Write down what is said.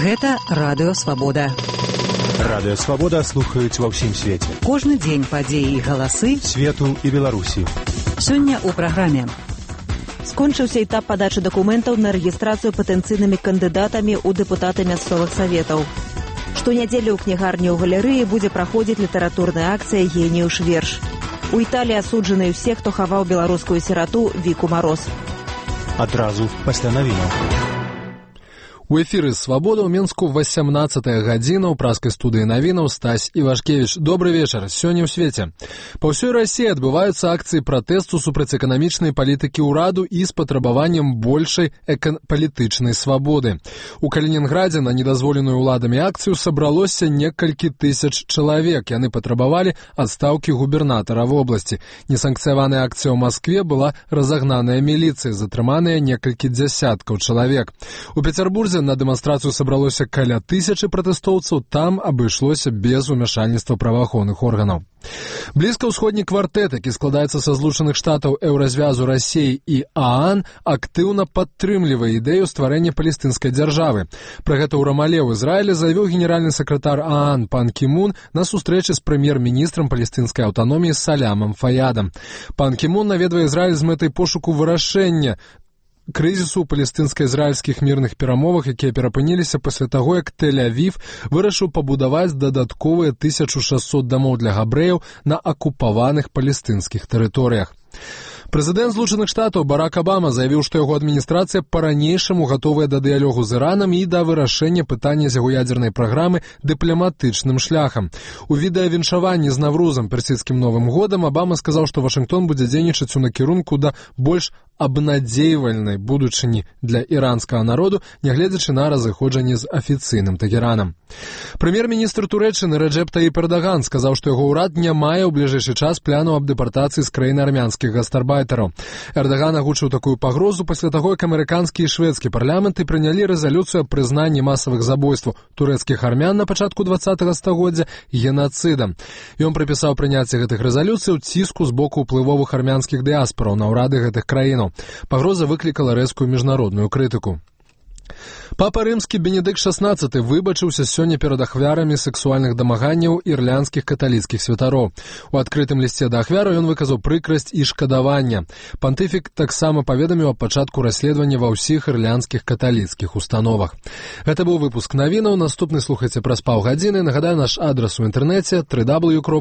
Гэта Радыё Свабода. Радыё Свабода слухаюць ва ўсім свеце. Кожны дзень падзеі і галасы свету і Беларусі. Сёння ў праграме. Скончыўся этап падачы дакументаў на рэгістрацыю патэнцыйнымі кандыдатамі ў дэпутаты мясцовых саветаў. Штонядзелю ў кнігарні ў галерэі будзе праходзіць літаратурная акцыя «Геніюш верш». У Італіі асуджаны ўсе, хто хаваў беларускую сірату Віку Мароз. Адразу пасля навінаў. У эфіры «Свабода» ў Менску 18-я гадзіна ў праскай студыі навінаў Стась Івашкевіч. Добры вечар. Сёння ў свеце. Па ўсёй Расіі адбываюцца акцыі пратэсту супраць эканамічнай палітыкі ўраду і з патрабаваннем большай палітычнай свабоды. У Калінінградзе на недазволеную ўладамі акцыю сабралося некалькі тысяч чалавек. Яны патрабавалі адстаўкі губернатара вобласці. Несанкцыяваная акцыя ў Маскве была разагнаная міліцыяй, затрыманыя некалькі дзясяткаў чалавек. У Пецярбурзе на дэманстрацыю сабралося каля 1000 пратэстоўцаў, там абышлося без умяшальніцтва праваахоўных органаў. Блізкаўсходні квартэт, які складаецца са Злучаных Штатаў, Еўразвязу, Расіі і ААН, актыўна падтрымлівае ідэю стварэння палестынскай дзяржавы. Пра гэта ў Рамале ў Ізраілі заявіў генеральны сакратар ААН Пан Кі Мун на сустрэчы з прэм'ер-міністрам палестынскай аўтаноміі Салямам Фаядам. Пан Кі Мун наведвае Ізраіль з мэтай пошуку вырашэння крызісу ў палестынска-ізраільскіх мірных перамовах, якія перапыніліся пасля таго, як Тель-Авів вырашыў пабудаваць дадатковыя 1600 дамоў для габрэяў на акупаваных палестынскіх тэрыторыях. Прэзідэнт Злучаных Штатаў Барак Абама заявіў, што яго адміністрацыя па-ранейшаму гатовая да дыялогу з Іранам і да вырашэння пытання з яго ядзернай праграмы дыпламатычным шляхам. У відэавіншаванні з Наврузам, персідскім Новым годам, Абама сказаў, што Вашынгтон будзе дзейнічаць у накірунку да больш абнадзейвальнай будучыні для іранскага народу, нягледзячы на разыходжанне з афіцыйным Тэгеранам. Прэм'ер-міністр Турэччыны Рэджэп Таіп Эрдаган сказаў, што яго ўрад не мае ў бліжэйшы час плану аб дэпартацыі з краіны армянскіх гастарбайтараў. Эрдаган агучыў такую пагрозу пасля таго, як амерыканскі і шведскі парламенты прынялі рэзалюцыю аб прызнанні масавых забойстваў турэцкіх армян на пачатку 20-го стагоддзя генацыдам. Ён прыпісаў прыняцце гэтых рэзалюцыяў ціску з боку ўплывовых армянскіх дыяспараў на ўрады гэтых краінаў. Пагроза выклікала рэзкую міжнародную крытыку. Папа рымскі Бенедыкт XVI выбачыўся сёння перад ахвярамі сексуальных дамаганняў ірландскіх каталіцкіх святароў. У адкрытым лісце да ахвяраў ён выказаў прыкрасць і шкадаванне. Пантыфік таксама паведаміў аб пачатку расследавання ва ўсіх ірландскіх каталіцкіх установах. Гэта быў выпуск навінаў. Наступны слухайце праз паўгадзіны. Нагадаю, наш адрас у інтэрнэце www.